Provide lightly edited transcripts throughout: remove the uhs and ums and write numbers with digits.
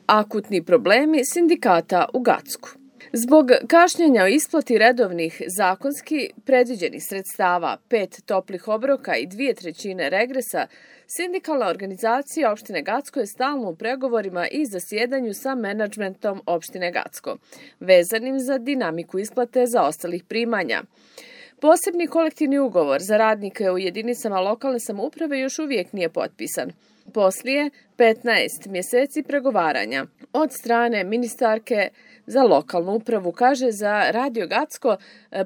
Akutni problemi sindikata u Gacku. Zbog kašnjenja o isplati redovnih zakonski predviđenih sredstava, 5 toplih obroka i 2/3 regresa, sindikalna organizacija opštine Gacko je stalno u pregovorima i zasjedanju sa menadžmentom opštine Gacko, vezanim za dinamiku isplate zaostalih primanja. Posebni kolektivni ugovor za radnike u jedinicama lokalne samouprave još uvijek nije potpisan. Poslije 15 mjeseci pregovaranja od strane ministarke za lokalnu upravu, kaže za Radio Gacko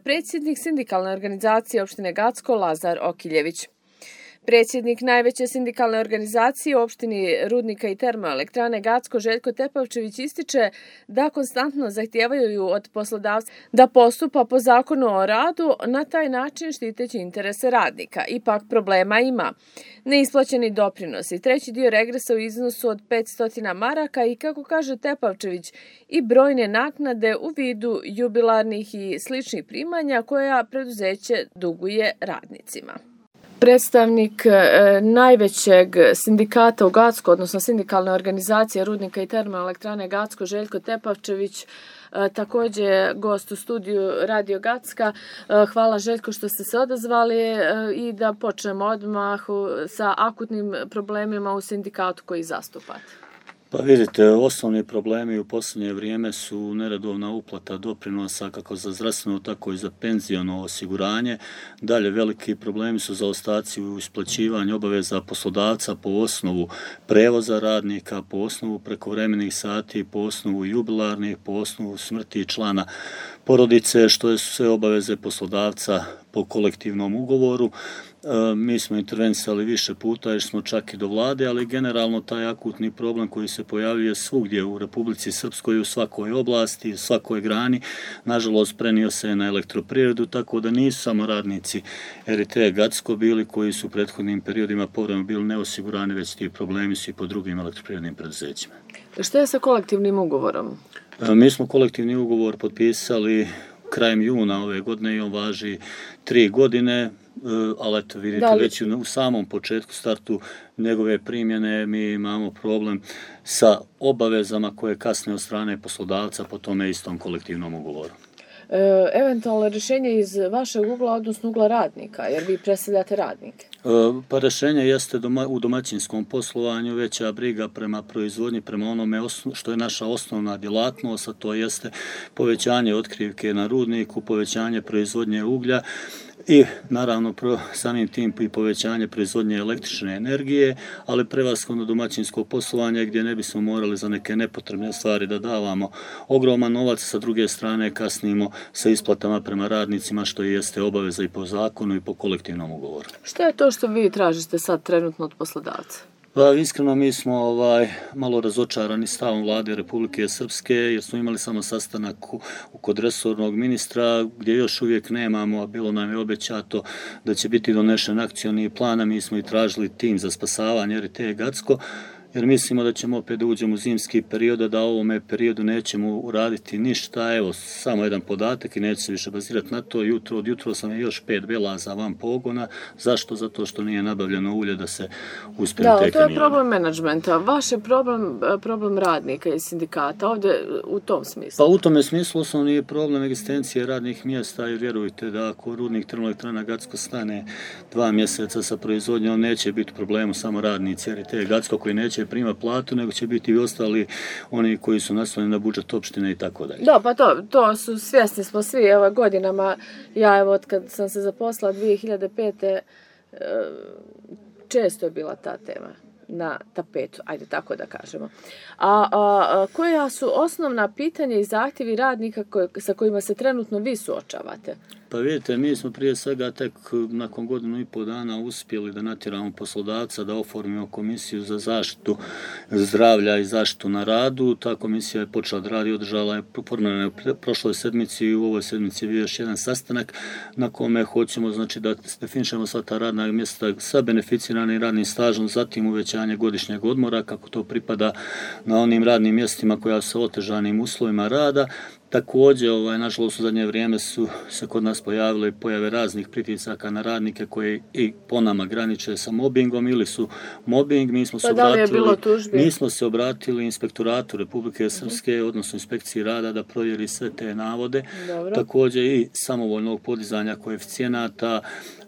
predsjednik sindikalne organizacije opštine Gacko Lazar Okiljević. Predsjednik najveće sindikalne organizacije u opštini Rudnika i termoelektrane Gacko Željko Tepavčević ističe da konstantno zahtijevaju od poslodavca da postupa po zakonu o radu, na taj način štiteći interese radnika. Ipak problema ima. Neisplaćeni doprinosi, treći dio regresa u iznosu od 500 maraka i, kako kaže Tepavčević, i brojne naknade u vidu jubilarnih i sličnih primanja koja preduzeće duguje radnicima. Predstavnik najvećeg sindikata u Gacku, odnosno sindikalne organizacije Rudnika i termoelektrane Gacko Željko Tepavčević, također gost u studiju Radio Gacka. Hvala Željko što ste se odazvali i da počnemo odmah sa akutnim problemima u sindikatu koji zastupate. Pa vidite, osnovni problemi u posljednje vrijeme su neredovna uplata doprinosa kako za zdravstveno, tako i za penziono osiguranje. Dalje, veliki problemi su zaostaci u isplaćivanju obaveza poslodavca po osnovu prevoza radnika, po osnovu prekovremenih sati, po osnovu jubilarnih, po osnovu smrti člana porodice, što su sve obaveze poslodavca po kolektivnom ugovoru. Mi smo intervenisali više puta jer smo čak i do vlade, ali generalno taj akutni problem koji se pojavljuje svugdje u Republici Srpskoj, u svakoj oblasti, u svakoj grani, nažalost prenio se na elektroprivredu, tako da nisu samo radnici RT Gacko bili koji su u prethodnim periodima povremeno bili neosigurani, već ti problemi su i po drugim elektroprivrednim preduzećima. Što je sa kolektivnim ugovorom? Mi smo kolektivni ugovor potpisali krajem juna ove godine i on važi 3 godine, ali eto vidite već u samom početku, startu njegove primjene mi imamo problem sa obavezama koje kasne od strane poslodavca po tome istom kolektivnom ugovoru. Eventualno rješenje iz vašeg ugla, odnosno ugla radnika, jer vi predstavljate radnike? Pa rješenje jeste u domaćinskom poslovanju, veća briga prema proizvodnji, prema onome što je naša osnovna djelatnost, a to jeste povećanje otkrivke na rudniku, povećanje proizvodnje uglja i naravno samim tim i povećanje proizvodnje električne energije, ali prevashodno domaćinsko poslovanje gdje ne bismo morali za neke nepotrebne stvari da davamo ogroman novac, sa druge strane kasnimo sa isplatama prema radnicima, što jeste obaveza i po zakonu i po kolektivnom ugovoru. Što je to što vi tražite sad trenutno od poslodavca? Pa iskreno mi smo malo razočarani stavom vlade Republike Srpske jer smo imali samo sastanak kod resornog ministra gdje još uvijek nemamo, a bilo nam je obećato da će biti donešen akcioni plan, a mi smo i tražili tim za spasavanje RT Gacko, jer mislimo da ćemo opet da uđemo u zimski period, da u ovome periodu nećemo uraditi ništa. Evo, samo jedan podatak i neće se više bazirati na to. Od jutro sam je još 5 belaza van pogona. Zašto? Zato što nije nabavljeno ulje da se uspije te to je problem menadžmenta. Vaš je problem radnika i sindikata ovdje u tom smislu? Pa u tome smislu osnovni je problem egzistencije radnih mjesta i vjerujte da ako Rudnik termoelektrana Gacko stane 2 mjeseca sa proizvodnjom, neće biti problemu samo radnici RT Gacko koji neće prima platu, nego će biti i ostali oni koji su naslonjeni na budžet opštine i tako dalje. Da, pa to su svjesni smo svi godinama. Ja od kad sam se zaposlala 2005. Često je bila ta tema na tapetu, ajde tako da kažemo. A koja su osnovna pitanja i zahtjevi radnika sa kojima se trenutno vi suočavate? Pa vidite, mi smo prije svega tek nakon 1,5 dana uspjeli da natjeramo poslodavca da oformimo komisiju za zaštitu zdravlja i zaštitu na radu. Ta komisija je počela da radi, održala je formirana u prošloj sedmici i u ovoj sedmici je bio još jedan sastanak na kome hoćemo da definišemo sva ta radna mjesta sa beneficiranim radnim stažom, zatim uvećanje godišnjeg odmora kako to pripada na onim radnim mjestima koja su otežanim uslovima rada Također, nažalost, u zadnje vrijeme su se kod nas pojavile pojave raznih pritisaka na radnike koji i po nama graniče sa mobbingom ili su mobbing. Mi smo se obratili Inspektoratu Republike Srpske, odnosno Inspekciji rada, da provjeri sve te navode. Dobro. Također i samovoljnog podizanja koeficijenata.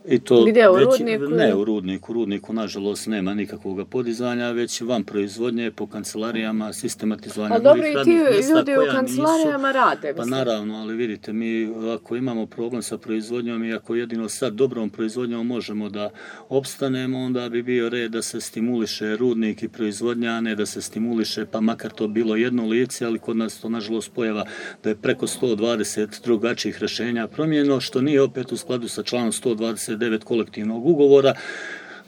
I to gdje, u Rudniku? Ne, u Rudniku. U Rudniku, nažalost, nema nikakvog podizanja, već van proizvodnje, po kancelarijama, sistematizovanja novih radnih mjesta. Ali dobro, i ti ljudi u kancelarijama rade. Pa naravno, ali vidite, mi ako imamo problem sa proizvodnjom i ako jedino sad dobrom proizvodnjom možemo da opstanemo, onda bi bio red da se stimuliše rudnik i proizvodnja, ne da se stimuliše, pa makar to bilo jedno lice, ali kod nas to, nažalost, pojava da je preko 120 drugačijih rješenja promijenjeno, što nije opet u skladu sa članom 129 kolektivnog ugovora,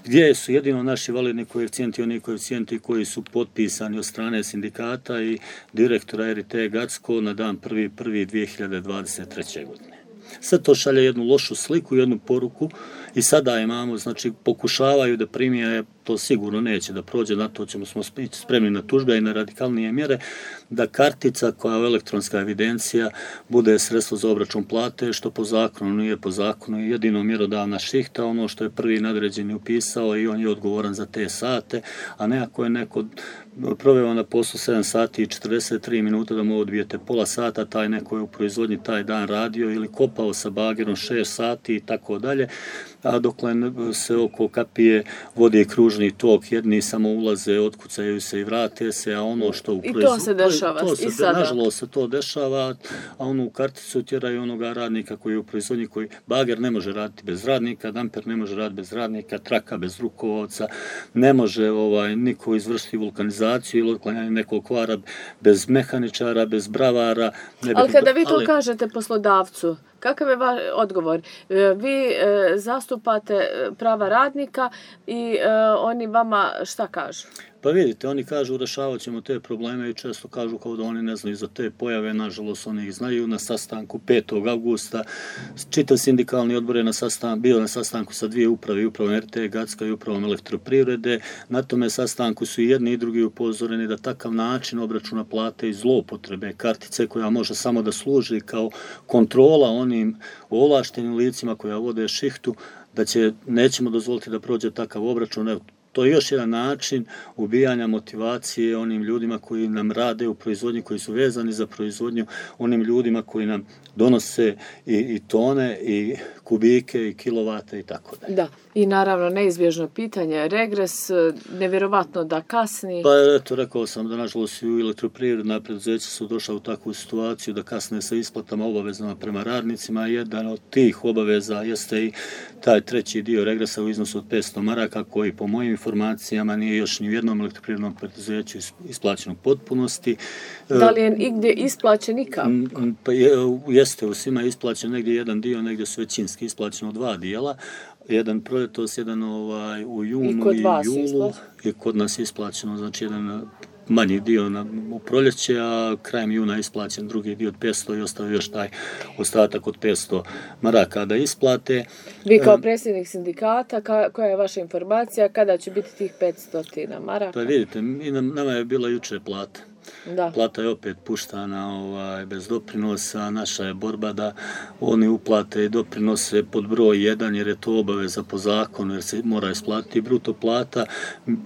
gdje su jedino naši validni koeficijenti, oni koeficijenti koji su potpisani od strane sindikata i direktora RT Gacko na dan 1.1.2023. godine. Sve to šalje jednu lošu sliku, jednu poruku i sada imamo, znači pokušavaju da primije, to sigurno neće da prođe, na to ćemo smo spremni na tužbe i na radikalnije mjere, da kartica koja je elektronska evidencija bude sredstvo za obračun plate, što po zakonu nije po zakonu, jedino mjerodavna šihta, ono što je prvi nadređeni upisao i on je odgovoran za te sate, a ne ako je neko proveo na poslu 7 sati i 43 minuta da mu odbijete pola sata, taj neko je u proizvodnji taj dan radio ili kopao sa bagerom 6 sati i tako dalje, a dokle se oko kapije vodi kružni tok, jedni samo ulaze, otkucaju se i vrate se, a ono što u proizvodnji... I to se dešava i sada. Nažalost se to dešava, a onu karticu tjeraju onoga radnika koji je u proizvodnji, koji bager ne može raditi bez radnika, damper ne može raditi bez radnika, traka bez rukovodca, ne može niko izvršiti vulkanizaciju ili otklanjanje nekog kvara bez mehaničara, bez bravara. Ali kada vi to kažete poslodavcu, kakav je vaš odgovor? Vi zastupate prava radnika i oni vama šta kažu? Pa vidite, oni kažu rješavat ćemo te probleme i često kažu kao da oni ne znaju za te pojave, nažalost oni ih znaju. Na sastanku 5. augusta čitav sindikalni odbor je bio na sastanku sa dvije uprave, upravom RT Gacka i upravom elektroprivrede. Na tome sastanku su i jedni i drugi upozoreni da takav način obračuna plate i zloupotrebe kartice koja može samo da služi kao kontrola onim ovlaštenim licima koja vode šihtu, da nećemo dozvoliti da prođe takav obračun. To je još jedan način ubijanja motivacije onim ljudima koji nam rade u proizvodnji, koji su vezani za proizvodnju, onim ljudima koji nam donose i tone, i kubike, i kilovate i tako dalje. Da, i naravno neizbježno pitanje, regres, nevjerovatno da kasni. Pa eto, rekao sam da nažalost i elektroprivredna preduzeća su došla u takvu situaciju da kasne sa isplatama obavezama prema radnicima. Jedan od tih obaveza jeste i taj treći dio regresa u iznosu od 500 maraka koji po mojim informacijama nije još ni u jednom elektroprivrednom preduzeću isplaćen u potpunosti. Da li je igdje isplaćen nikako? Pa jeste, u svima je isplaćen negdje jedan dio, negdje su većinski isplaćeno 2 dijela. Jedan proljetos, jedan u junu i julu. I kod nas je isplaćeno, znači jedan manji dio u proljeće, a krajem juna je isplaćen drugi dio od 500 i ostavio još taj ostatak od 500 maraka da isplate. Vi kao predsjednik sindikata, koja je vaša informacija, kada će biti tih 500 maraka? Pa vidite, nama je bila juče plata. Da. Plata je opet puštana bez doprinosa, naša je borba da oni uplate i doprinose pod broj 1 jer je to obaveza po zakonu jer se mora isplatiti bruto plata.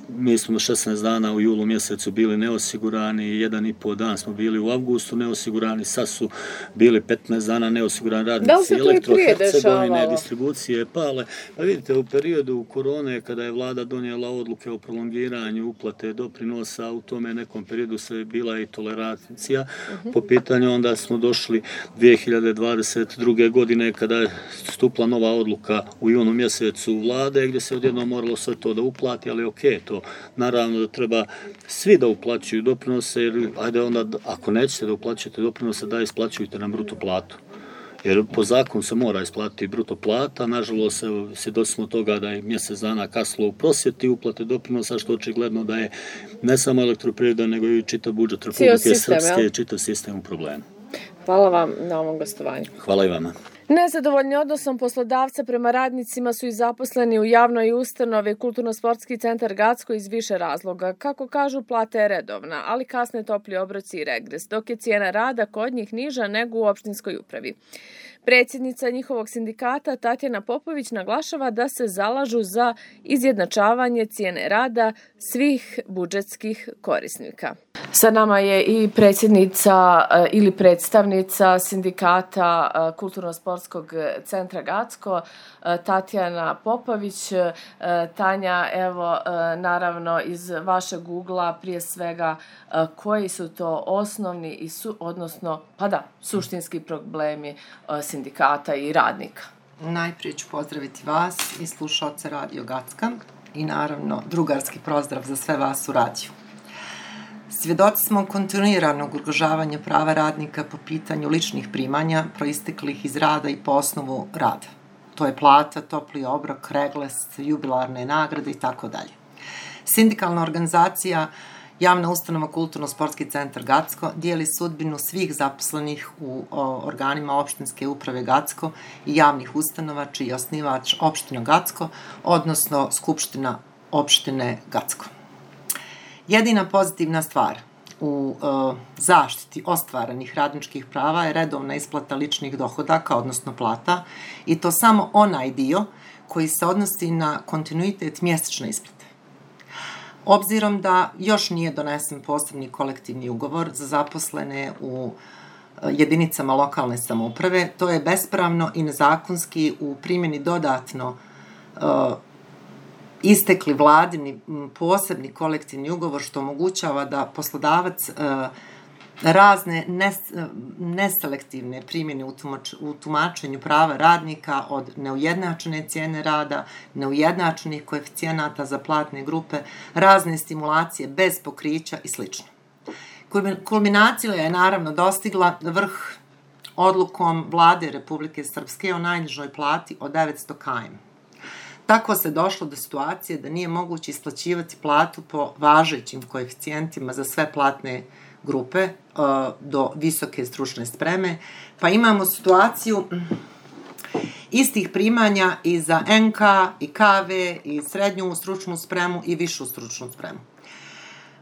Mi smo 16 dana u julu mjesecu bili neosigurani, 1,5 dan smo bili u avgustu neosigurani, sad su bili 15 dana neosigurani radnici Elektro-Hercegovine, distribucije pale. Pa vidite, u periodu korone kada je vlada donijela odluke o prolongiranju uplate doprinosa, u tome nekom periodu se bila i tolerancija po pitanju, onda smo došli 2022. godine kada je stupila nova odluka u junu mjesecu vlade gdje se odjednom moralo sve to da uplati, ali to naravno da treba svi da uplaćuju doprinose, jer ajde onda ako nećete da uplaćujete doprinose, da isplaćujte nam bruto platu. Jer po zakonu se mora isplatiti bruto plata, nažalost svjedoci smo toga da je mjesec dana kaslo u prosvjeti uplate doprinosa, što očigledno da je ne samo elektroprivreda, nego i čitav budžet Republike Srpske i čitav sistem u problemu. Hvala vam na ovom gostovanju. Hvala i vama. Nezadovoljni odnosom poslodavca prema radnicima su i zaposleni u javnoj ustanovi Kulturno-sportski centar Gacko iz više razloga. Kako kažu, plata je redovna, ali kasne topli obroci i regres, dok je cijena rada kod njih niža nego u opštinskoj upravi. Predsjednica njihovog sindikata Tatjana Popović naglašava da se zalažu za izjednačavanje cijene rada svih budžetskih korisnika. Sa nama je i predsjednica ili predstavnica sindikata Kulturno-sportskog centra Gacko, Tatjana Popović. Tanja, evo, naravno iz vašeg ugla prije svega koji su to osnovni i suštinski problemi sindikata i radnika? Najprije ću pozdraviti vas i slušalce Radio Gacka i naravno drugarski pozdrav za sve vas u radiju. Svjedoci smo kontinuiranog ugrožavanja prava radnika po pitanju ličnih primanja proisteklih iz rada i po osnovu rada. To je plata, topli obrok, regres, jubilarne nagrade i tako dalje. Sindikalna organizacija Javna ustanova Kulturno-sportski centar Gacko dijeli sudbinu svih zaposlenih u organima opštinske uprave Gacko i javnih ustanova čiji je osnivač opština Gacko, odnosno Skupština opštine Gacko. Jedina pozitivna stvar u zaštiti ostvarenih radničkih prava je redovna isplata ličnih dohodaka, odnosno plata, i to samo onaj dio koji se odnosi na kontinuitet mjesečne isplate. Obzirom da još nije donesen posebni kolektivni ugovor za zaposlene u jedinicama lokalne samouprave, to je bespravno i nezakonski u primjeni dodatno istekli vladini posebni kolektivni ugovor, što omogućava da poslodavac razne neselektivne primjene u tumačenju prava radnika od neujednačene cijene rada, neujednačenih koeficijenata za platne grupe, razne stimulacije bez pokrića i sl. Kulminacija je naravno dostigla vrh odlukom vlade Republike Srpske o najnižoj plati od 900 km. Tako se došlo do situacije da nije moguće isplaćivati platu po važećim koeficijentima za sve platne grupe do visoke stručne spreme, pa imamo situaciju istih primanja i za NK i KV i srednju stručnu spremu i višu stručnu spremu.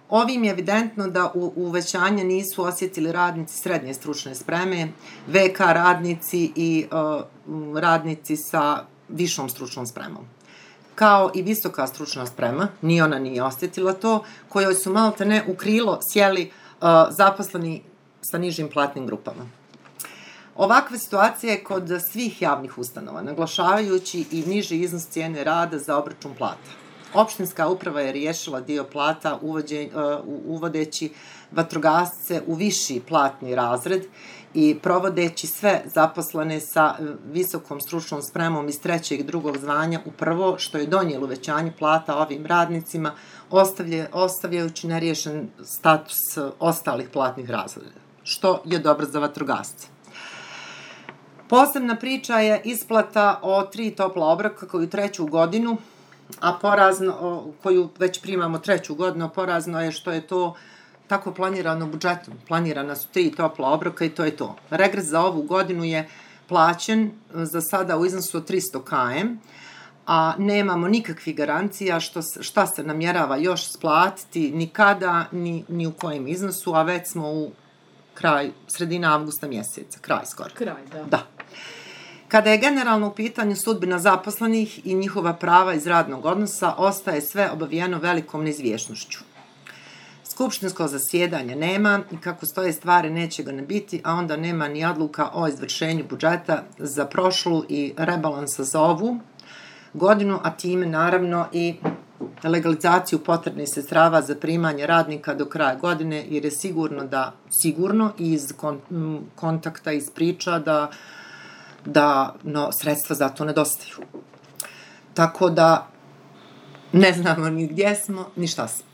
Ovim je evidentno da uvećanje nisu osjetili radnici srednje stručne spreme, VK radnici i radnici sa višom stručnom spremom. Kao i visoka stručna sprema, ni ona nije osjetila to, kojoj su maltene u krilo sjeli zaposleni sa nižim platnim grupama. Ovakva situacija je kod svih javnih ustanova, naglašavajući i niži iznos cijene rada za obračun plata. Opštinska uprava je riješila dio plata uvodeći vatrogasce u viši platni razred i provodeći sve zaposlene sa visokom stručnom spremom iz trećeg i drugog zvanja u prvo, što je donijelo uvećanje plata ovim radnicima, ostavljajući neriješen status ostalih platnih razreda, što je dobro za vatrogasce. Posebna priča je isplata o 3 topla obroka koju treću godinu, koju već primamo treću godinu, porazno je što je to tako planirano budžetom. Planirana su 3 topla obroka i to je to. Regres za ovu godinu je plaćen za sada u iznosu od 300 km, a nemamo nikakvih garancija šta se namjerava još splatiti, ni kada, ni u kojem iznosu, a već smo u sredina avgusta mjeseca, kraj skoro. Da. Kada je generalno u pitanju sudbina zaposlenih i njihova prava iz radnog odnosa, ostaje sve obavijeno velikom neizvjesnošću. Skupštinsko zasjedanje nema i kako stoje stvari neće ga ne biti, a onda nema ni odluka o izvršenju budžeta za prošlu i rebalansa za ovu godinu, a time naravno i legalizaciju potrebnih sredstava za primanje radnika do kraja godine, jer je sigurno iz kontakta, iz priča da sredstva za to nedostaju. Tako da ne znamo ni gdje smo, ni šta smo.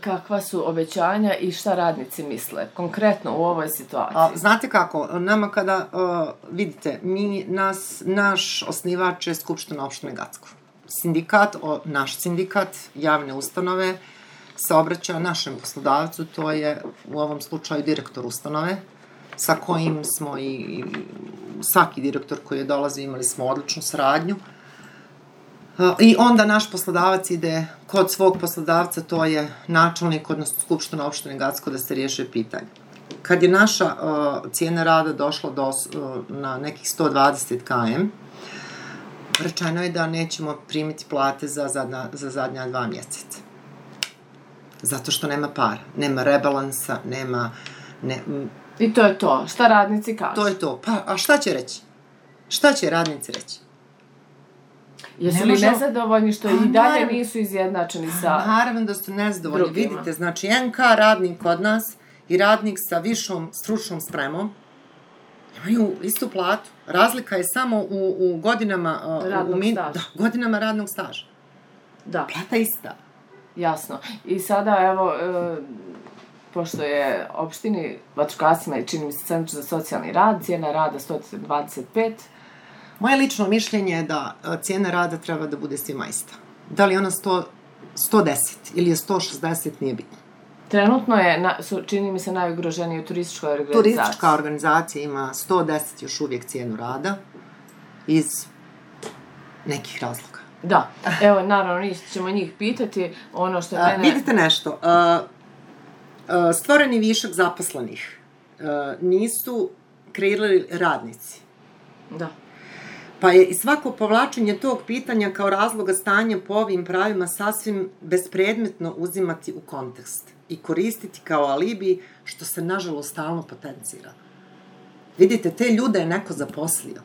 Kakva su obećanja i šta radnici misle konkretno u ovoj situaciji? Znate kako, nama kada vidite, naš osnivač je Skupština opštine Gacko. Naš sindikat javne ustanove se obraća našem poslodavcu, to je u ovom slučaju direktor ustanove, sa kojim smo i svaki direktor koji je dolazio imali smo odličnu saradnju. I onda naš poslodavac ide kod svog poslodavca, to je načelnik, odnosno Skupština opštine Gacko, da se riješe pitanje. Kad je naša cijena rada došla na nekih 120 km, rečeno je da nećemo primiti plate za zadnja 2 mjeseca. Zato što nema para, nema rebalansa, nema... I to je to. Šta radnici kažu? To je to. Pa, a šta će reći? Šta će radnici reći? Jesu li nezadovoljni što i dalje nisu izjednačeni sa... Naravno da su nezadovoljni. Vidite, znači NK radnik kod nas i radnik sa višom stručnom spremom imaju istu platu. Razlika je samo u godinama... radnog staža. Da, godinama radnog staža. Da. Plata ista. Jasno. I sada, evo, pošto je opštini vatrogascima i čini mi se Centru za socijalni rad, cijena rada 125. Moje lično mišljenje je da cijena rada treba da bude svima ista. Da li je ona 110 ili je 160, nije bitno. Trenutno je, čini mi se, najugroženiji u turističkoj organizaciji. Turistička organizacija ima 110 još uvijek cijenu rada iz nekih razloga. Da, evo, naravno, ćemo njih pitati ono što je mene... Vidite nešto, stvoreni višak zaposlenih nisu kreirali radnici. Da. Pa je i svako povlačenje tog pitanja kao razloga stanja po ovim pravima sasvim bespredmetno uzimati u kontekst i koristiti kao alibi, što se nažalost stalno potencira. Vidite, te ljude je neko zaposlio.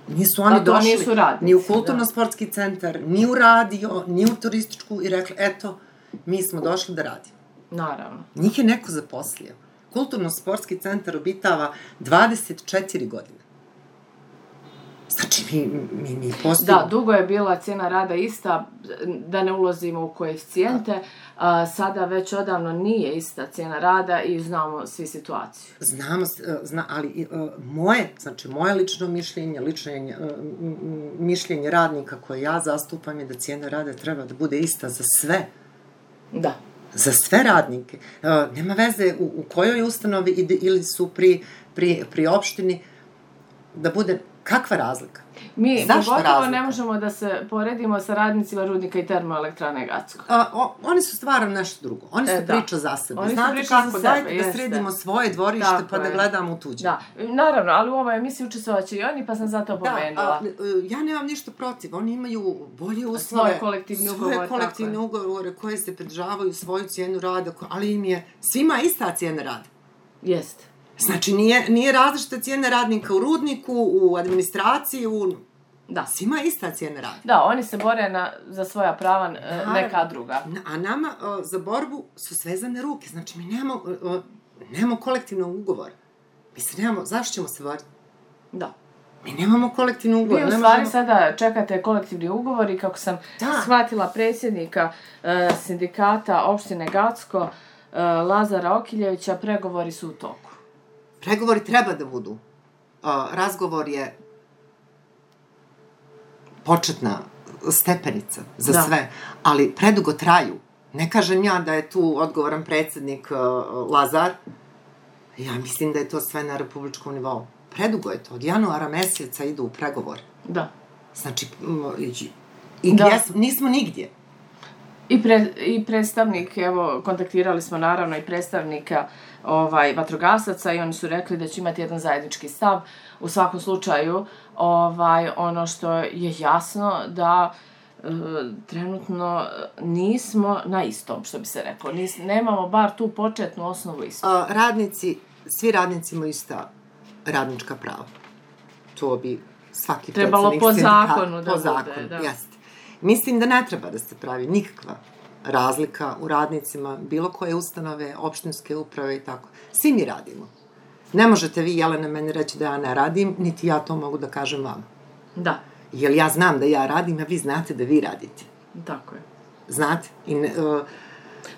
Nisu oni došli ni u kulturno-sportski centar, ni u radio, ni u turističku i rekli, eto, mi smo došli da radimo. Naravno. Njih je neko zaposlio. Kulturno-sportski centar obitava 24 godine. Znači, mi postojimo... Da, dugo je bila cijena rada ista, da ne ulazimo u koeficijente, sada već odavno nije ista cijena rada i znamo svi situaciju. Znamo, ali moje lično mišljenje, mišljenje radnika koje ja zastupam je da cijena rada treba da bude ista za sve. Da. Za sve radnike. Nema veze u kojoj ustanovi ili su pri opštini da bude... Kakva razlika? Mi pogotovo ne možemo da se poredimo sa radnicima rudnika i termoelektrane Gacko. Oni su stvarno nešto drugo. Oni su priča za sebe. Znate kako, dajte da sredimo svoje dvorište pa da gledamo u tuđe. Da, naravno, ali u ovoj emisiji učestvovaće i oni, pa sam zato pomenula. Ja nemam ništa protiv. Oni imaju bolje uslove. Svoje kolektivne ugovore koje se pridržavaju svoju cijenu rada, ali im je svima ista cijena rada. Jeste. Znači, nije različita cijena radnika u rudniku, u administraciji, Da. Svima ista cijena rada. Da, oni se bore za svoja prava, neka druga. A nama za borbu su svezane ruke. Znači, mi nemamo kolektivnog ugovora. Mi se nemamo, zašto ćemo se boriti? Da. Mi nemamo kolektivni ugovor. Vi u stvari sada čekate kolektivni ugovor i kako sam shvatila predsjednika sindikata opštine Gacko, Lazara Okiljevića, pregovori su u toku. Pregovori treba da budu. Razgovor je početna stepenica za sve, ali predugo traju. Ne kažem ja da je tu odgovoran predsjednik Lazar, ja mislim da je to sve na republičkom nivou. Predugo je to, od januara mjeseca idu u pregovor. Da. Znači, i gdje nismo nigdje. I predstavnik, evo, kontaktirali smo naravno i predstavnika vatrogasaca i oni su rekli da će imati jedan zajednički stav. U svakom slučaju, ono što je jasno da trenutno nismo na istom, što bi se reklo. Nemamo bar tu početnu osnovu istu. Svi radnici imaju ista radnička prava. To bi svaki trebalo po zakonu da bude. Jeste. Mislim da ne treba da se pravi nikakva razlika u radnicima, bilo koje ustanove, opštinske uprave i tako. Svi mi radimo. Ne možete vi, Jelena, meni reći da ja ne radim, niti ja to mogu da kažem vama. Da. Jer ja znam da ja radim, a vi znate da vi radite. Tako je. Znate?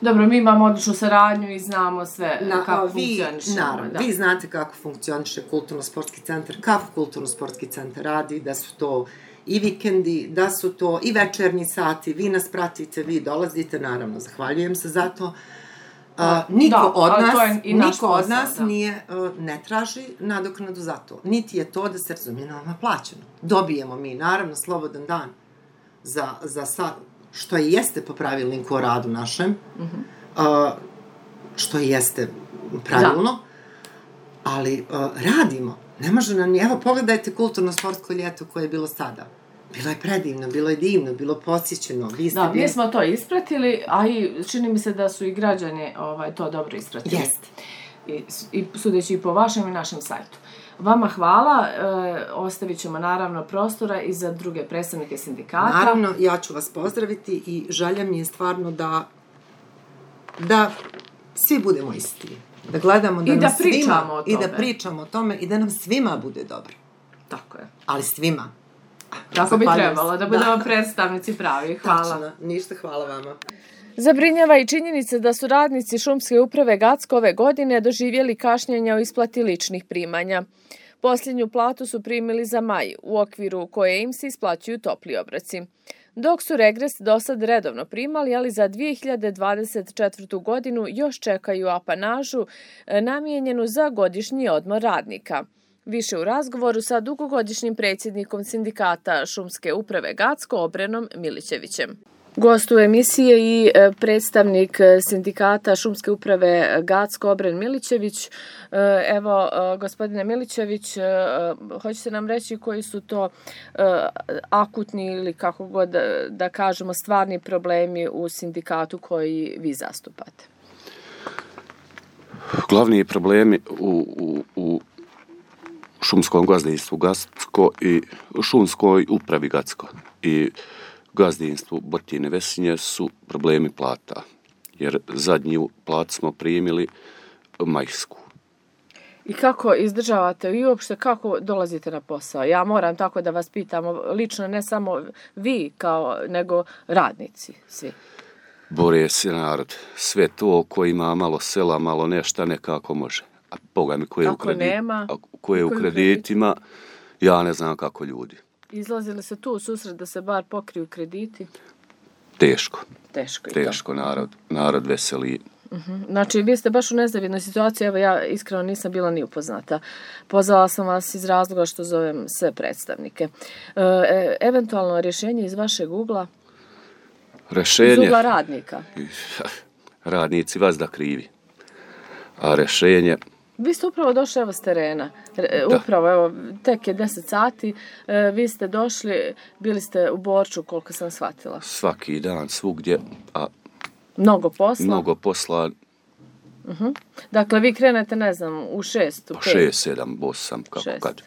Dobro, mi imamo odličnu saradnju i znamo sve kako funkcioniše. Naravno, vi znate kako funkcioniše kulturno-sportski centar, kako kulturno-sportski centar radi, da su to i vikendi, da su to i večernji sati, vi nas pratite, vi dolazite, naravno, zahvaljujem se za to. Niko od nas nije, ne traži nadoknadu za to. Niti je to da se razumije nama plaćeno. Dobijemo mi, naravno, slobodan dan za što i jeste po pravilniku o radu našem, što i jeste pravilno, ali radimo. Ne može nam, evo pogledajte kulturno-sportsko ljeto koje je bilo sada. Bilo je predivno, bilo je divno, bilo posjećeno. Da, mi smo to ispratili, a i čini mi se da su i građani to dobro ispratili. Jeste. I sudeći i po vašem i našem sajtu. Vama hvala, ostavit ćemo naravno prostora i za druge predstavnike sindikata. Naravno, ja ću vas pozdraviti i želja mi je stvarno da svi budemo isti. Da gledamo da nam svima i da pričamo o tome i da nam svima bude dobro. Tako je. Ali svima. Tako bi trebalo, da budemo predstavnici pravi. Hvala. Tačno, ništa, hvala vama. Zabrinjava i činjenica da su radnici Šumske uprave Gacko ove godine doživjeli kašnjenja u isplati ličnih primanja. Posljednju platu su primili za maj, u okviru koje im se isplaćuju topli obroci. Dok su regres do sad redovno primali, ali za 2024. godinu još čekaju apanažu namijenjenu za godišnji odmor radnika. Više u razgovoru sa dugogodišnjim predsjednikom sindikata Šumske uprave Gacko, Obrenom Milićevićem. Gost u emisije i predstavnik sindikata Šumske uprave Gacko, Obren Milićević. Evo, gospodine Milićević, hoćete nam reći koji su to akutni ili kako god da kažemo stvarni problemi u sindikatu koji vi zastupate? Glavni problemi u šumskom gazdinstvu Gacko i šumskoj upravi Gacko i gazdinstvu Botine Vesinje su problemi plata, jer zadnju platu smo primili majsku. I kako izdržavate i uopšte kako dolazite na posao? Ja moram tako da vas pitam, lično ne samo vi nego radnici svi. Bore se narod. Sve to ko ima malo sela, malo nešta, nekako može. A Boga mi ko je u kreditima, ja ne znam kako ljudi. Izlazili se tu u susret da se bar pokriju krediti? Teško. Teško narod veseli. Znači, vi ste baš u nezavidnoj situaciji, evo ja iskreno nisam bila ni upoznata. Pozvala sam vas iz razloga što zovem sve predstavnike. Eventualno rješenje iz vašeg ugla? Iz ugla radnika? Radnici vas da krivi. A rješenje... Vi ste upravo došli s terena. Upravo, evo, tek je 10 sati, vi ste došli, bili ste u Borču, koliko sam shvatila. Svaki dan, svugdje, a... Mnogo posla. Dakle, vi krenete, ne znam, u 6, u 5? 6, 7, 8, kako kad.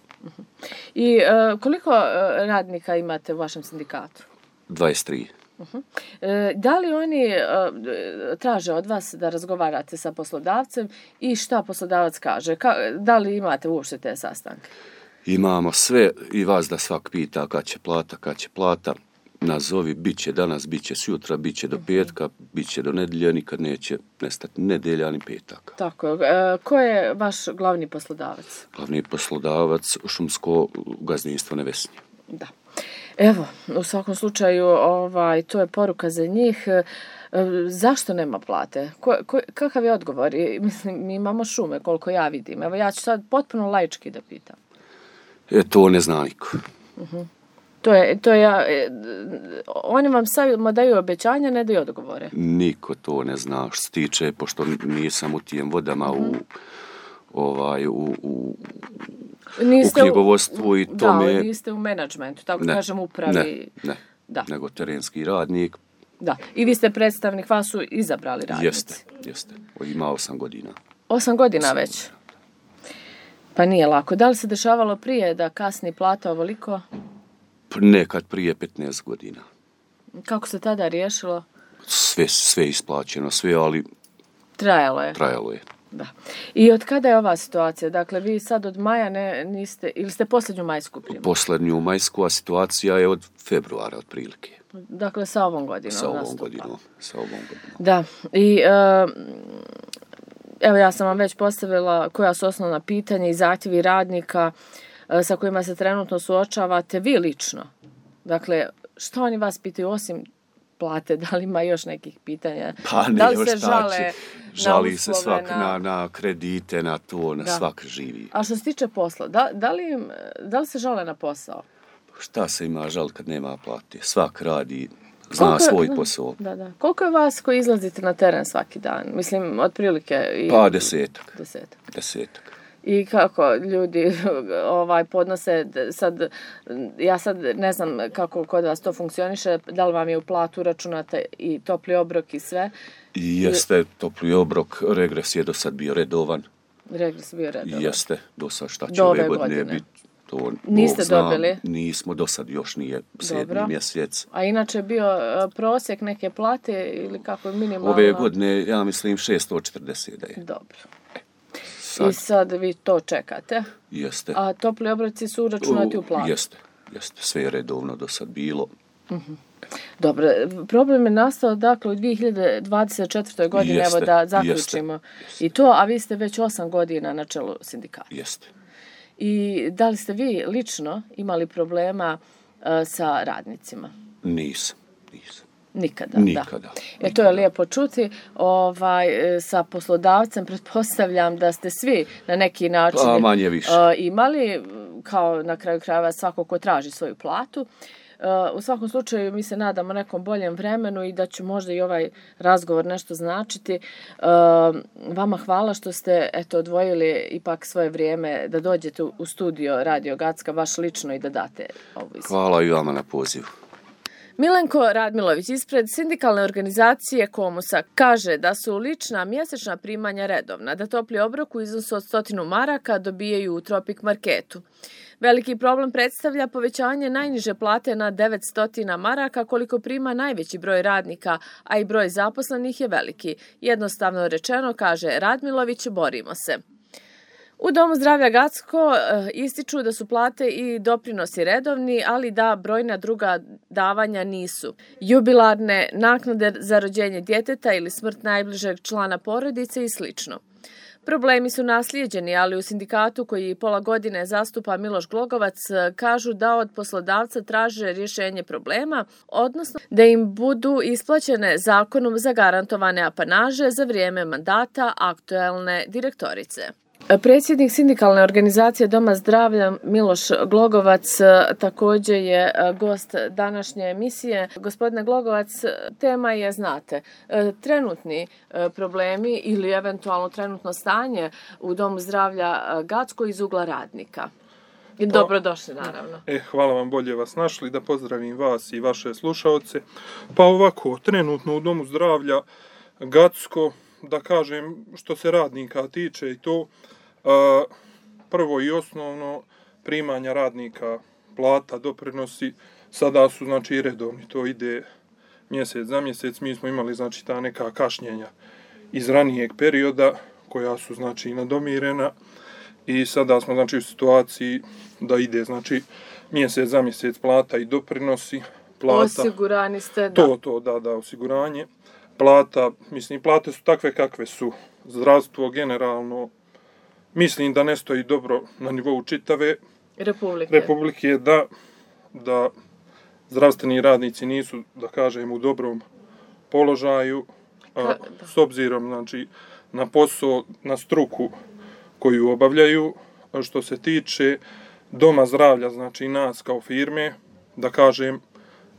I koliko radnika imate u vašem sindikatu? 23. Da li oni traže od vas da razgovarate sa poslodavcem i šta poslodavac kaže? Da li imate uopšte te sastanke? Imamo sve i vas da svak pita kad će plata. Nazovi, bit će danas, bit će sutra, bit će do petka, bit će do nedelje, nikad neće nestati nedelja ni petaka. Tako je. Ko je vaš glavni poslodavac? Glavni poslodavac šumsko gazdinstvo Nevesinje. Da. Evo, u svakom slučaju, to je poruka za njih. Zašto nema plate? Kakav je odgovor? Mislim, mi imamo šume, koliko ja vidim. Evo, ja ću sad potpuno laički da pitam. To ne zna niko. Oni vam samo daju obećanja, ne daju odgovore. Niko to ne zna što se tiče, pošto nisam u tijem vodama u knjigovodstvu i tome... Da, niste u menadžmentu, tako kažem upravi. Ne, nego terenski radnik. Da, i vi ste predstavnik, vas su izabrali radnici. Jeste. Ima 8 godina. 8 godina već? Pa nije lako. Da li se dešavalo prije da kasni plata ovoliko? Nekad prije 15 godina. Kako se tada riješilo? Sve isplaćeno, ali... Trajalo je. Da. I od kada je ova situacija? Dakle, vi sad od maja niste, ili ste posljednju majsku primili? Posljednju majsku, a situacija je od februara otprilike. Dakle, sa ovom godinom. Sa ovom godinom. Da. I evo ja sam vam već postavila koja su osnovna pitanja i zahtjevi radnika sa kojima se trenutno suočavate vi lično. Dakle, što oni vas pitaju osim plate? Da li ima još nekih pitanja? Pa ne, da li se žale žali se svak na kredite, na to, na svak živi. A što se tiče posla, da li se žale na posao? Šta se ima žal kad nema plate? Svak radi, zna svoj posao. Da. Koliko je vas koji izlazite na teren svaki dan? Mislim, otprilike... Pa 10. I kako ljudi podnose, ja sad ne znam kako kod vas to funkcioniše, da li vam je u platu računate i topli obrok i sve? Jeste, topli obrok, regres je do sad bio redovan. Regres bio redovan. Jeste, do sad šta će ove godine biti. To, niste dobili? Nismo, do sad još nije 7. mjesec. A inače je bio prosjek neke plate ili kako je minimalno? Ove godine, ja mislim, 640 da je. Dobro. I sad vi to čekate? Jeste. A topli obroci su uračunati u platu? Jeste. Sve je redovno do sad bilo. Dobro, problem je nastao dakle u 2024. godini, evo da zaključimo i to, a vi ste već 8 godina na čelu sindikata. Jeste. I da li ste vi lično imali problema sa radnicima? Nisam. Nikada. Da. To je lijepo čuti. Sa poslodavcem pretpostavljam da ste svi na neki način manje više imali, kao na kraju krajeva svako ko traži svoju platu. U svakom slučaju mi se nadamo nekom boljem vremenu i da će možda i ovaj razgovor nešto značiti. Vama hvala što ste odvojili ipak svoje vrijeme da dođete u studio Radio Gacka, baš lično i da date ovu izjavu. Hvala i vama na pozivu. Milenko Radmilović ispred sindikalne organizacije Komusa kaže da su lična mjesečna primanja redovna, da topli obrok u iznosu od 100 maraka dobijaju u Tropik marketu. Veliki problem predstavlja povećanje najniže plate na 900 maraka koliko prima najveći broj radnika, a i broj zaposlenih je veliki. Jednostavno rečeno, kaže Radmilović, borimo se. U Domu zdravlja Gacko ističu da su plate i doprinosi redovni, ali da brojna druga davanja nisu. Jubilarne, naknade za rođenje djeteta ili smrt najbližeg člana porodice i sl. Problemi su naslijeđeni, ali u sindikatu koji pola godine zastupa Miloš Glogovac kažu da od poslodavca traže rješenje problema, odnosno da im budu isplaćene zakonom zagarantovane apanaže za vrijeme mandata aktuelne direktorice. Predsjednik sindikalne organizacije Doma zdravlja Miloš Glogovac također je gost današnje emisije. Gospodine Glogovac, tema je, znate, trenutni problemi ili eventualno trenutno stanje u Domu zdravlja Gacko iz ugla radnika. Dobrodošli, naravno. Hvala vam, bolje vas našli, da pozdravim vas i vaše slušaoce. Pa ovako, trenutno u Domu zdravlja Gacko, da kažem što se radnika tiče i to, prvo i osnovno primanja radnika, plata, doprinosi, sada su znači redovni, to ide mjesec za mjesec. Mi smo imali znači ta neka kašnjenja iz ranijeg perioda koja su znači nadomirena i sada smo znači u situaciji da ide znači mjesec za mjesec plata i doprinosi. Plata, osigurani ste, da, osiguranje. Plata, mislim, plate su takve kakve su. Zdravstvo generalno, mislim da ne stoji dobro na nivou čitave Republike, da zdravstveni radnici nisu, da kažem, u dobrom položaju, s obzirom znači, na posao, na struku koju obavljaju. Što se tiče Doma zdravlja, znači nas kao firme, da kažem,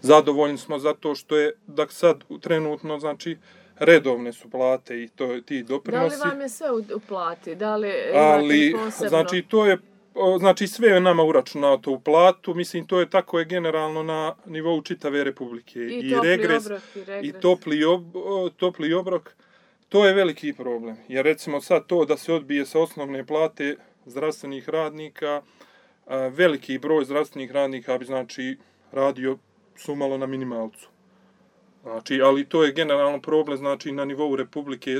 zadovoljni smo zato što je da sad trenutno znači redovne su plate i ti doprinosi. Da li vam je sve u plati? Da li ali posebno? Znači to je znači sve je nama uračunato u platu, mislim to je tako je generalno na nivou čitave Republike i regres i topli obrok. To je veliki problem. Jer recimo sad to da se odbije sa osnovne plate zdravstvenih radnika, veliki broj zdravstvenih radnika bi znači radio sumalo na minimalcu. Znači, ali to je generalno problem, znači na nivou Republike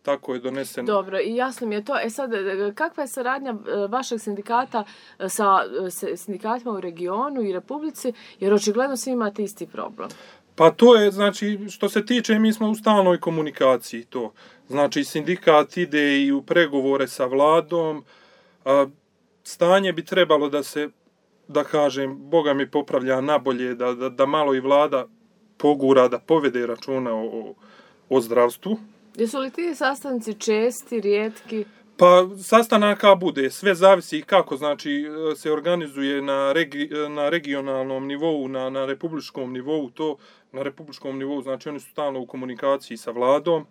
tako je donesen. Dobro, i jasno mi je to. Sad, kakva je saradnja vašeg sindikata sa sindikatima u regionu i Republici, jer očigledno svi imate isti problem? Pa to je, znači, što se tiče, mi smo u stalnoj komunikaciji to. Znači, sindikat ide i u pregovore sa vladom. Stanje bi trebalo da se, da kažem, Boga mi popravlja nabolje, da malo i vlada pogura da povede računa o zdravstvu. Jesu li ti sastanci česti, rijetki? Pa sastanaka bude, sve zavisi kako znači se organizuje na regionalnom nivou, na republičkom nivou, to na republičkom nivou, znači oni su stalno u komunikaciji sa vladom.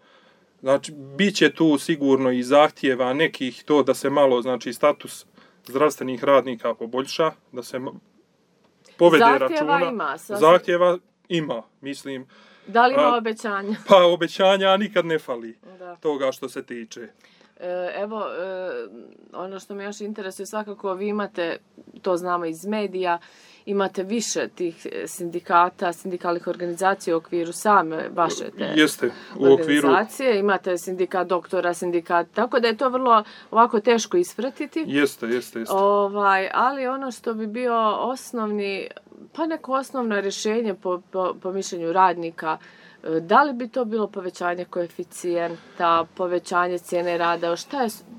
Znači bit će tu sigurno i zahtjeva nekih to da se malo znači status zdravstvenih radnika poboljša, da se povede računa. Zahtjeva ima, mislim. Da li ima obećanja? Pa obećanja nikad ne fali toga što se tiče. Evo, ono što me još interesuje, svakako vi imate, to znamo iz medija, imate više tih sindikata, sindikalnih organizacija u okviru same vaše te organizacije. Imate sindikat doktora, sindikat, tako da je to vrlo ovako teško ispratiti. Jeste. Ali ono što bi bio osnovni, pa neko osnovno rješenje po mišljenju radnika, da li bi to bilo povećanje koeficijenta, povećanje cijene rada,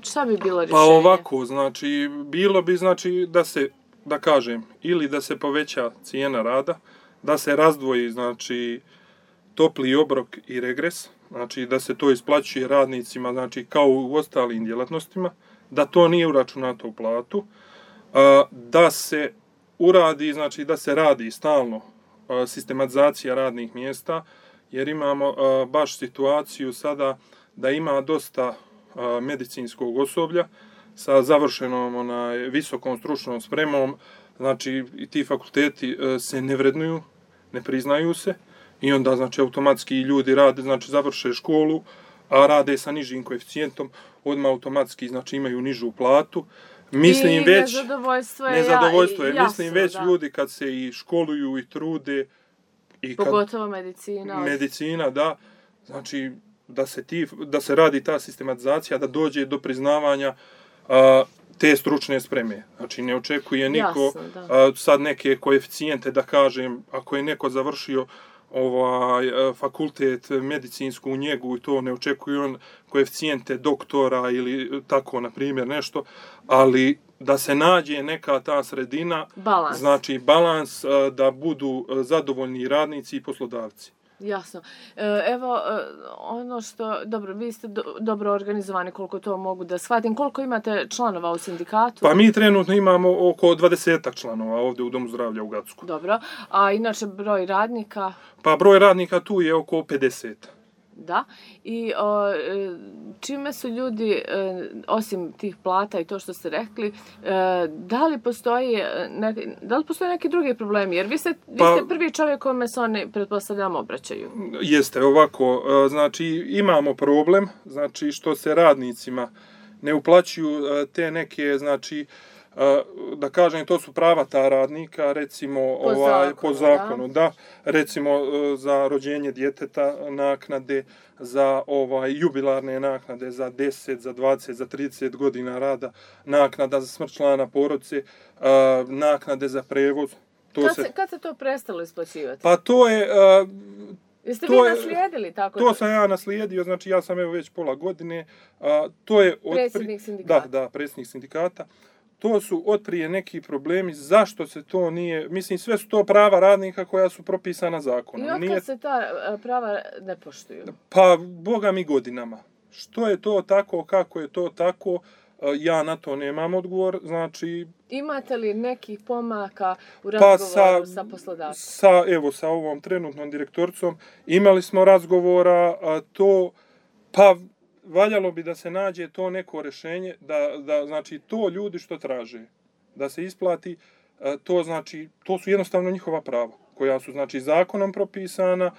šta bi bilo rješenje? Pa ovako, znači, bilo bi znači da se, da kažem, ili da se poveća cijena rada, da se razdvoji, znači, topli obrok i regres, znači da se to isplaćuje radnicima, znači kao u ostalim djelatnostima, da to nije uračunato u platu, da se uradi, znači da se radi stalno sistematizacija radnih mjesta, jer imamo baš situaciju sada da ima dosta medicinskog osoblja sa završenom visokom stručnom spremom, znači i ti fakulteti se ne vrednuju, ne priznaju se i onda znači automatski ljudi rade, znači završe školu, a rade sa nižim koeficijentom, odmah automatski znači imaju nižu platu. Mislim već nezadovoljstvo je, mislim već ljudi kad se i školuju i trude i pogotovo medicina, da, znači da se radi ta sistematizacija, da dođe do priznavanja te stručne spreme. Znači ne očekuje niko sad neke koeficijente da kažem, ako je neko završio fakultet medicinsku njegu i to ne očekuje on koeficijente doktora ili tako na primjer nešto, ali da se nađe neka ta sredina, znači balans da budu zadovoljni radnici i poslodavci. Jasno. Evo, ono što, dobro, vi ste dobro organizovani, koliko to mogu da shvatim. Koliko imate članova u sindikatu? Pa mi trenutno imamo oko 20 članova ovdje u Domu zdravlja u Gacku. Dobro. A inače broj radnika? Pa broj radnika tu je oko 50. Da. I čime su ljudi, osim tih plata i to što ste rekli, da li postoji neki drugi problemi? Jer vi ste prvi čovjek kome se oni, pretpostavljam, obraćaju. Jeste, ovako. Znači, imamo problem, znači, što se radnicima ne uplaćuju te neke, znači, da kažem, to su prava ta radnika, recimo po zakonu, da, recimo za rođenje djeteta naknade, za jubilarne naknade, za 10, za 20, za 30 godina rada, naknada za smrt člana porodice, naknade za prevoz. Kad se to prestalo isplaćivati? Pa to je... Jeste vi naslijedili tako? To sam ja naslijedio, znači ja sam već pola godine. To je predsjednik sindikata. Da, predsjednik sindikata. To su otprije neki problemi, zašto se to nije, mislim sve su to prava radnika koja su propisana zakonom. I otkad se ta prava ne poštuju? Pa, boga mi godinama. Što je to tako, kako je to tako, ja na to nemam odgovor, znači... Imate li nekih pomaka u razgovoru sa poslodavcem? Evo, sa ovom trenutnom direktoricom imali smo razgovora, pa valjalo bi da se nađe to neko rješenje, da znači to ljudi što traže, da se isplati, to znači, to su jednostavno njihova prava, koja su znači zakonom propisana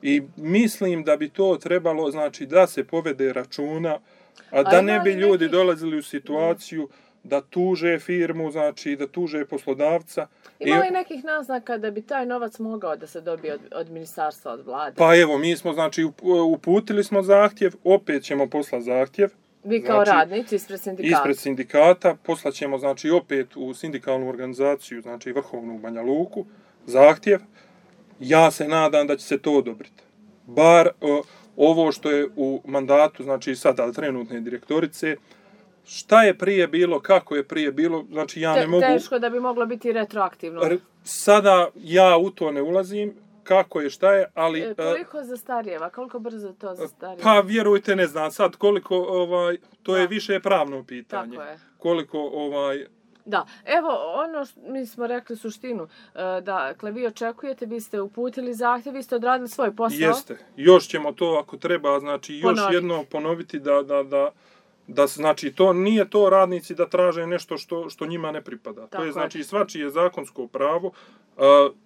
i mislim da bi to trebalo znači da se povede računa, a da ne bi ljudi dolazili u situaciju da tuže firmu, znači da tuže poslodavca. Ima li nekih naznaka da bi taj novac mogao da se dobije od ministarstva, od vlade? Pa evo, mi smo, znači, uputili smo zahtjev, opet ćemo poslati zahtjev. Vi kao radnici ispred sindikata? Ispred sindikata, poslaćemo, znači, opet u sindikalnu organizaciju, znači, Vrhovnu u Banja Luku, zahtjev. Ja se nadam da će se to odobriti. Bar ovo što je u mandatu, znači, sada trenutne direktorice, šta je prije bilo, kako je prije bilo, znači ja ne mogu... Teško da bi moglo biti retroaktivno. Sada ja u to ne ulazim, kako je, šta je, ali... Koliko zastarijeva, koliko brzo to zastarijeva? Pa vjerujte, ne znam sad koliko, to je više pravno pitanje. Tako je. Koliko, Da, evo ono mi smo rekli suštinu, dakle vi očekujete, vi ste uputili zahtjev, vi ste odradili svoj posao. Jeste, još ćemo to ako treba, znači još jedno ponoviti da znači to nije to radnici da traže nešto što njima ne pripada. Tako to je znači svačije zakonsko pravo,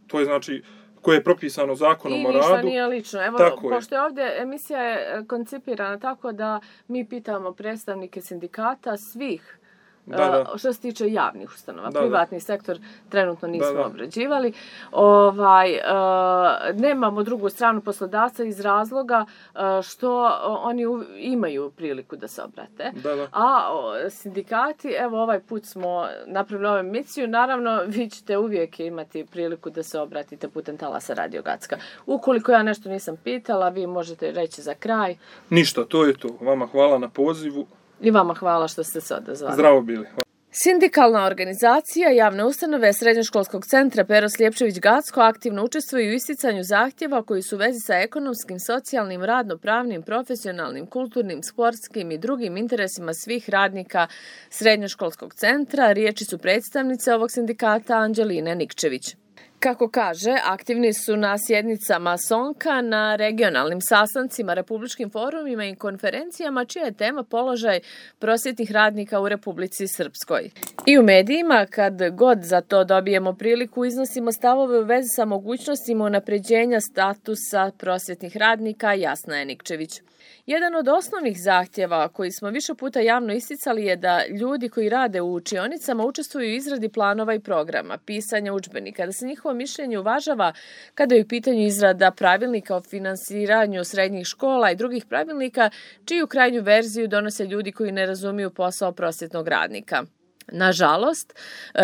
to je znači koje je propisano zakonom o radu. I ništa nije lično. Evo, pošto je ovdje emisija je koncipirana tako da mi pitamo predstavnike sindikata svih što se tiče javnih ustanova. Privatni sektor trenutno nismo obrađivali. Nemamo drugu stranu poslodavca iz razloga što oni imaju priliku da se obrate. A sindikati, evo ovaj put smo napravili ovu emisiju, naravno vi ćete uvijek imati priliku da se obratite putem talasa Radio Gacka. Ukoliko ja nešto nisam pitala, vi možete reći za kraj. Ništa, to je to. Vama hvala na pozivu. I vama hvala što ste se odazvali. Zdravo bili. Sindikalna organizacija javne ustanove Srednjoškolskog centra Pero Sljepčević Gacko aktivno učestvuju u isticanju zahtjeva koji su u vezi sa ekonomskim, socijalnim, radno-pravnim, profesionalnim, kulturnim, sportskim i drugim interesima svih radnika Srednjoškolskog centra. Riječi su predstavnice ovog sindikata Anđeline Nikčević. Kako kaže, aktivni su na sjednicama Sonka, na regionalnim sastancima, republičkim forumima i konferencijama, čija je tema položaj prosvjetnih radnika u Republici Srpskoj. I u medijima, kad god za to dobijemo priliku, iznosimo stavove u vezi sa mogućnostima unapređenja statusa prosvjetnih radnika, Jasna je Nikčević. Jedan od osnovnih zahtjeva koji smo više puta javno isticali je da ljudi koji rade u učionicama učestvuju u izradi planova i programa, pisanja udžbenika, da se njihovo mišljenje uvažava kada je u pitanju izrada pravilnika o finansiranju srednjih škola i drugih pravilnika, čiju krajnju verziju donose ljudi koji ne razumiju posao prosvjetnog radnika. Nažalost,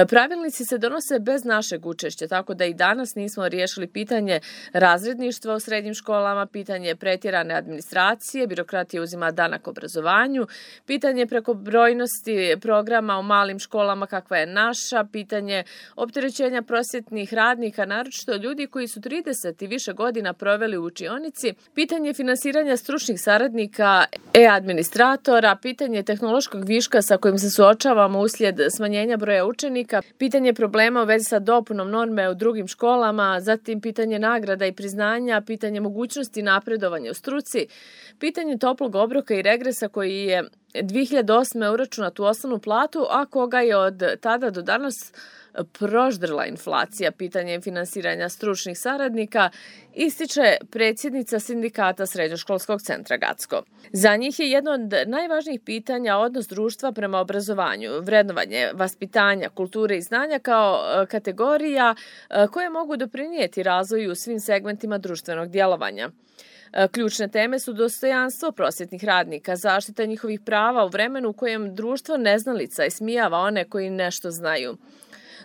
pravilnici se donose bez našeg učešća, tako da i danas nismo riješili pitanje razredništva u srednjim školama, pitanje pretjerane administracije, birokratija uzima danak obrazovanju, pitanje prekobrojnosti programa u malim školama kakva je naša, pitanje opterećenja prosvjetnih radnika, naročito ljudi koji su 30 i više godina proveli u učionici, pitanje finansiranja stručnih saradnika, administratora, pitanje tehnološkog viška sa kojim se suočavamo uslijed smanjenja broja učenika, pitanje problema u vezi sa dopunom norme u drugim školama, zatim pitanje nagrada i priznanja, pitanje mogućnosti napredovanja u struci, pitanje toplog obroka i regresa koji je 2008. uračunat u osnovnu platu, a koga je od tada do danas proždrla inflacija, pitanje finansiranja stručnih saradnika, ističe predsjednica sindikata Srednjoškolskog centra Gacko. Za njih je jedno od najvažnijih pitanja odnos društva prema obrazovanju, vrednovanje vaspitanja, kulture i znanja kao kategorija koje mogu doprinijeti razvoju u svim segmentima društvenog djelovanja. Ključne teme su dostojanstvo prosvjetnih radnika, zaštita njihovih prava u vremenu u kojem društvo neznalica ismijava one koji nešto znaju.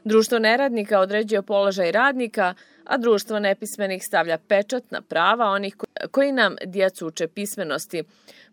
Društvo neradnika određuje položaj radnika, a društvo nepismenih stavlja pečat na prava onih koji nam djecu uče pismenosti,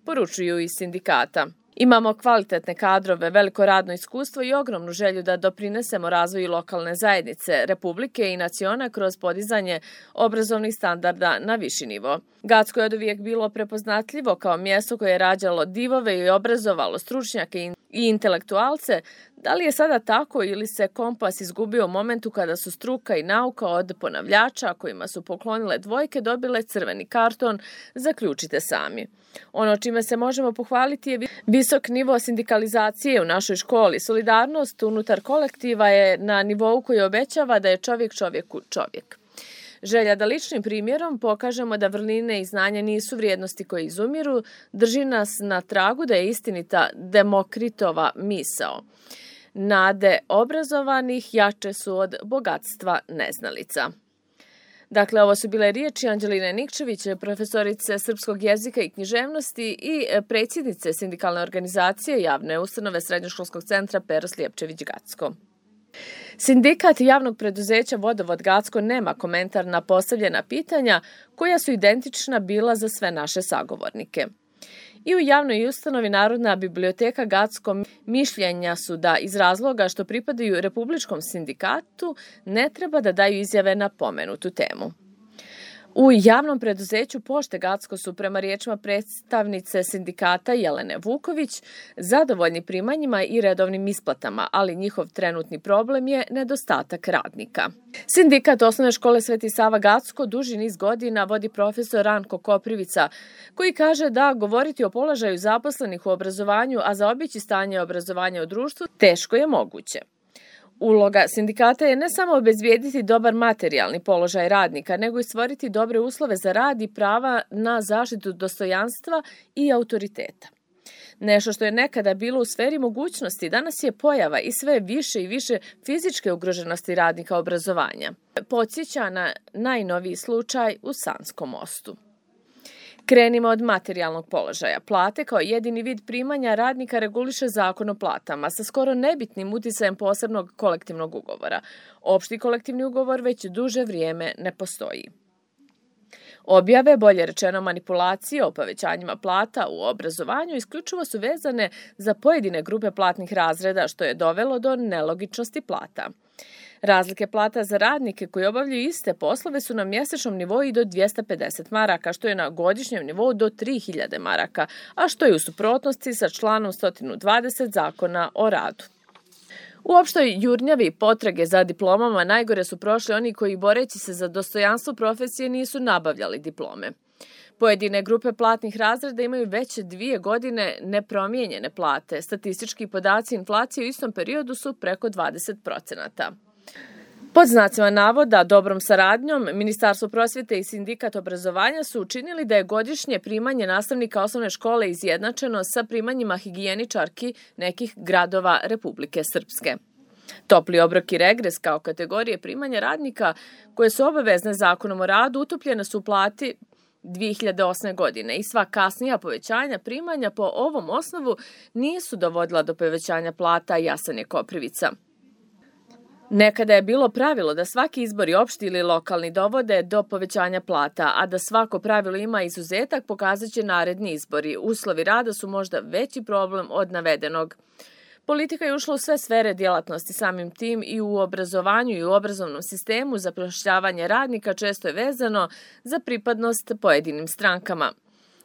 poručuju iz sindikata. Imamo kvalitetne kadrove, veliko radno iskustvo i ogromnu želju da doprinesemo razvoju lokalne zajednice, republike i naciona kroz podizanje obrazovnih standarda na viši nivo. Gacko je oduvijek bilo prepoznatljivo kao mjesto koje je rađalo divove i obrazovalo stručnjake i intelektualce. Da li je sada tako ili se kompas izgubio u momentu kada su struka i nauka od ponavljača kojima su poklonile dvojke dobile crveni karton, zaključite sami. Ono čime se možemo pohvaliti je visok nivo sindikalizacije u našoj školi. Solidarnost unutar kolektiva je na nivou koji obećava da je čovjek čovjeku čovjek. Želja da ličnim primjerom pokažemo da vrline i znanja nisu vrijednosti koje izumiru, drži nas na tragu da je istinita Demokritova misao. Nade obrazovanih jače su od bogatstva neznalica. Dakle, ovo su bile riječi Anđeline Nikčević, profesorice srpskog jezika i književnosti i predsjednice sindikalne organizacije javne ustanove Srednjoškolskog centra Pero Sljepčević Gacko. Sindikat javnog preduzeća Vodovod Gacko nema komentar na postavljena pitanja koja su identična bila za sve naše sagovornike. I u javnoj ustanovi Narodna biblioteka Gacko mišljenja su da iz razloga što pripadaju Republičkom sindikatu ne treba da daju izjave na pomenutu temu. U javnom preduzeću Pošte Gacko su prema riječima predstavnice sindikata Jelene Vuković zadovoljni primanjima i redovnim isplatama, ali njihov trenutni problem je nedostatak radnika. Sindikat Osnovne škole Sveti Sava Gacko duži niz godina vodi profesor Ranko Koprivica, koji kaže da govoriti o položaju zaposlenih u obrazovanju, a zaobići stanje obrazovanja u društvu, teško je moguće. Uloga sindikata je ne samo obezbijediti dobar materijalni položaj radnika, nego i stvoriti dobre uslove za rad i prava na zaštitu dostojanstva i autoriteta. Nešto što je nekada bilo u sferi mogućnosti, danas je pojava i sve više i više fizičke ugroženosti radnika obrazovanja. Podsjeća na najnoviji slučaj u Sanskom Mostu. Krenimo od materijalnog položaja. Plate kao jedini vid primanja radnika reguliše Zakon o platama sa skoro nebitnim uticajem posebnog kolektivnog ugovora. Opšti kolektivni ugovor već duže vrijeme ne postoji. Objave, bolje rečeno manipulacije o povećanjima plata u obrazovanju isključivo su vezane za pojedine grupe platnih razreda, što je dovelo do nelogičnosti plata. Razlike plata za radnike koji obavljaju iste poslove su na mjesečnom nivou i do 250 maraka, što je na godišnjem nivou do 3000 maraka, a što je u suprotnosti sa članom 120 Zakona o radu. U opštoj jurnjavi potrage za diplomama najgore su prošli oni koji, boreći se za dostojanstvo profesije, nisu nabavljali diplome. Pojedine grupe platnih razreda imaju već 2 godine nepromijenjene plate. Statistički podaci inflacije u istom periodu su preko 20%. Pod znacima navoda, dobrom saradnjom, Ministarstvo prosvjete i Sindikat obrazovanja su učinili da je godišnje primanje nastavnika osnovne škole izjednačeno sa primanjima higijeničarki nekih gradova Republike Srpske. Topli obrok i regres kao kategorije primanja radnika koje su obavezne Zakonom o radu utopljene su u plati 2008. godine i sva kasnija povećanja primanja po ovom osnovu nisu dovodila do povećanja plata, jasan je Koprivica. Nekada je bilo pravilo da svaki izbori opšti ili lokalni dovode do povećanja plata, a da svako pravilo ima izuzetak pokazat će naredni izbori. Uslovi rada su možda veći problem od navedenog. Politika je ušla u sve sfere djelatnosti, samim tim i u obrazovanju i u obrazovnom sistemu. Zapošljavanje radnika često je vezano za pripadnost pojedinim strankama.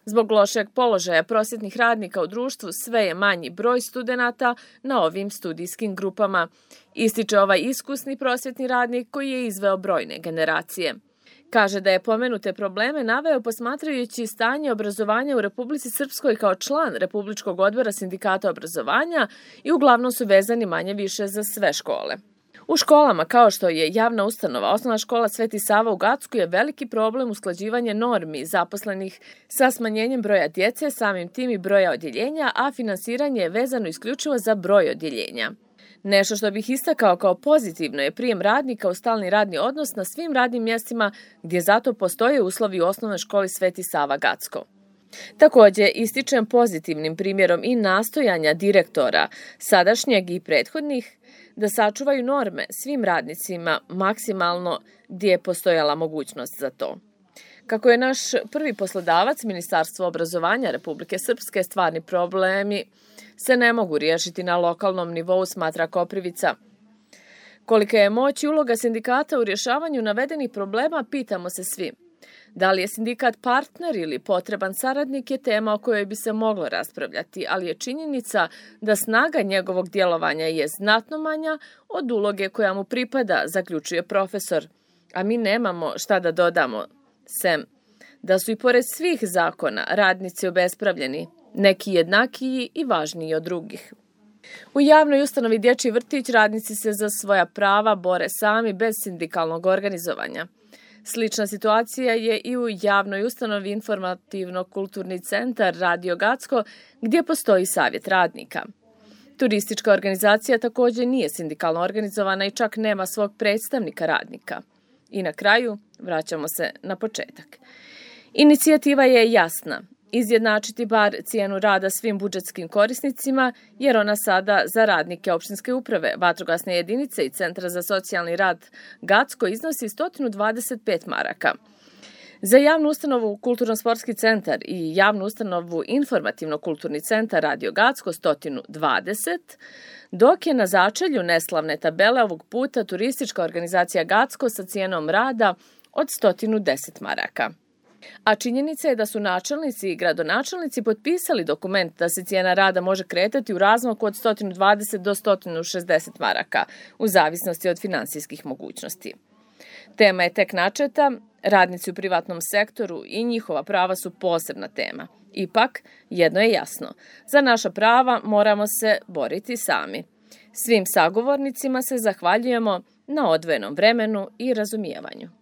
Zbog lošeg položaja prosvjetnih radnika u društvu sve je manji broj studenata na ovim studijskim grupama, ističe ovaj iskusni prosvjetni radnik koji je izveo brojne generacije. Kaže da je pomenute probleme naveo posmatrajući stanje obrazovanja u Republici Srpskoj kao član Republičkog odbora sindikata obrazovanja i uglavnom su vezani manje više za sve škole. U školama, kao što je javna ustanova Osnovna škola Sveti Sava u Gacku, je veliki problem usklađivanje normi zaposlenih sa smanjenjem broja djece, samim tim i broja odjeljenja, a finansiranje je vezano isključivo za broj odjeljenja. Nešto što bih istakao kao pozitivno je prijem radnika u stalni radni odnos na svim radnim mjestima gdje zato postoje uslovi u Osnovnoj školi Sveti Sava Gacko. Također ističem pozitivnim primjerom i nastojanja direktora, sadašnjeg i prethodnih, da sačuvaju norme svim radnicima maksimalno gdje je postojala mogućnost za to. Kako je naš prvi poslodavac, Ministarstvo obrazovanja Republike Srpske, stvarni problemi se ne mogu riješiti na lokalnom nivou, smatra Koprivica. Kolika je moć i uloga sindikata u rješavanju navedenih problema, pitamo se svi. Da li je sindikat partner ili potreban saradnik je tema o kojoj bi se moglo raspravljati, ali je činjenica da snaga njegovog djelovanja je znatno manja od uloge koja mu pripada, zaključuje profesor. A mi nemamo šta da dodamo, sem da su i pored svih zakona radnici obespravljeni, neki jednakiji i važniji od drugih. U javnoj ustanovi Dječji vrtić radnici se za svoja prava bore sami bez sindikalnog organizovanja. Slična situacija je i u javnoj ustanovi Informativno-kulturni centar Radio Gacko, gdje postoji savjet radnika. Turistička organizacija također nije sindikalno organizovana i čak nema svog predstavnika radnika. I na kraju vraćamo se na početak. Inicijativa je jasna. Izjednačiti bar cijenu rada svim budžetskim korisnicima, jer ona sada za radnike opštinske uprave, vatrogasne jedinice i Centra za socijalni rad Gacko iznosi 125 maraka. Za javnu ustanovu Kulturno-sportski centar i javnu ustanovu Informativno-kulturni centar Radio Gacko 120, dok je na začelju neslavne tabele ovog puta turistička organizacija Gacko sa cijenom rada od 110 maraka. A činjenica je da su načelnici i gradonačelnici potpisali dokument da se cijena rada može kretati u razmaku od 120 do 160 maraka, u zavisnosti od finansijskih mogućnosti. Tema je tek načeta, radnici u privatnom sektoru i njihova prava su posebna tema. Ipak, jedno je jasno, za naša prava moramo se boriti sami. Svim sagovornicima se zahvaljujemo na odvojenom vremenu i razumijevanju.